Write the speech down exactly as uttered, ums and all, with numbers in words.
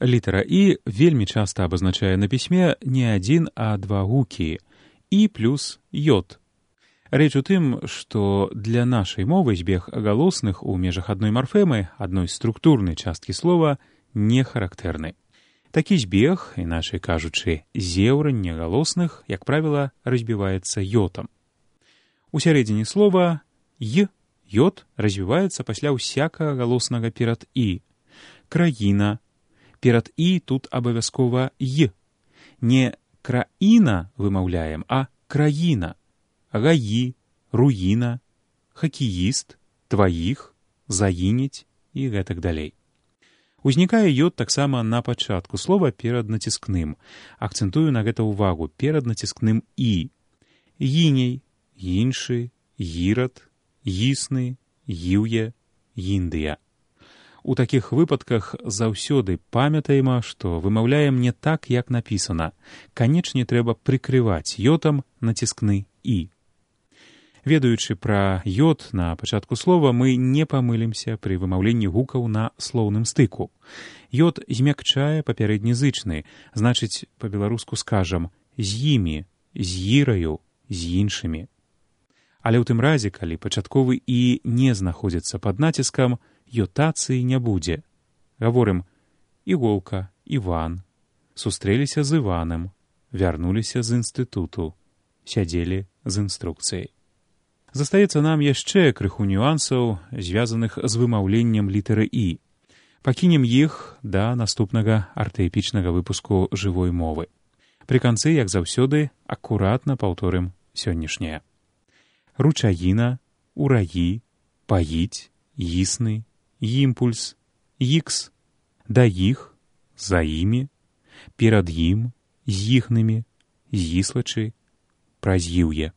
Літара «і» вельмі часта абазначае на пісьме не адзін, а два гукі «і» плюс «йод». Рэч у тым, што для нашай мовы збег галосных у межах адной марфемы, адной структурнай часткі слова, не характэрны. Такі збег, іначай кажучы, зеўранне галосных, як правіла, разбіваецца йотам. У сярэдзіне слова «й» йод развіваецца пасля ўсякага галоснага перад «і». Краіна. Перад «і» тут абавязкова «й». Не краіна вымаўляем, а краіна. Гаі, руіна, хакеіст, тваіх, заінець і гэтак далей. Узнікае йод таксама на пачатку слова перад націскным. Акцэнтую на гэта ўвагу, перад націскным «і». Гіней, іншы, гірад, гісны, гіўе, гіндыя. У такіх выпадках заўсёды памятаем, што вымаўляем не так, як напісана. Канечне трэба прыкрываць йодам націскны «і». Ведаючы пра йод на пачатку слова, мы не памылімся пры вымаўленні гукаў на слоўным стыку. Йод змякчае папярэдні зычны, значыць, па-беларуску скажам «з імі», «з іраю», «з іншымі». Але ў тым разе, калі пачатковы «і» не знаходзіцца пад націскам, йотацыі не будзе. Гаворым «Іголка», «Іван», «сустрэліся з Іванам», «вярнуліся з інстытуту», «сядзелі з інструкцыяй». Застаецца нам яшчэ крыху нюансаў, звязаных з вымаўленнем літары «і». Пакінем іх да наступнага артаэпічнага выпуску жывой мовы. Пры канцы, як заўсёды, акуратна паўторым сённяшняе. Ручаіна, ураі, паіць, існы, імпульс, ікс, да іх, за імі, перад ім, з іхнымі, зіслачы, праз іўе.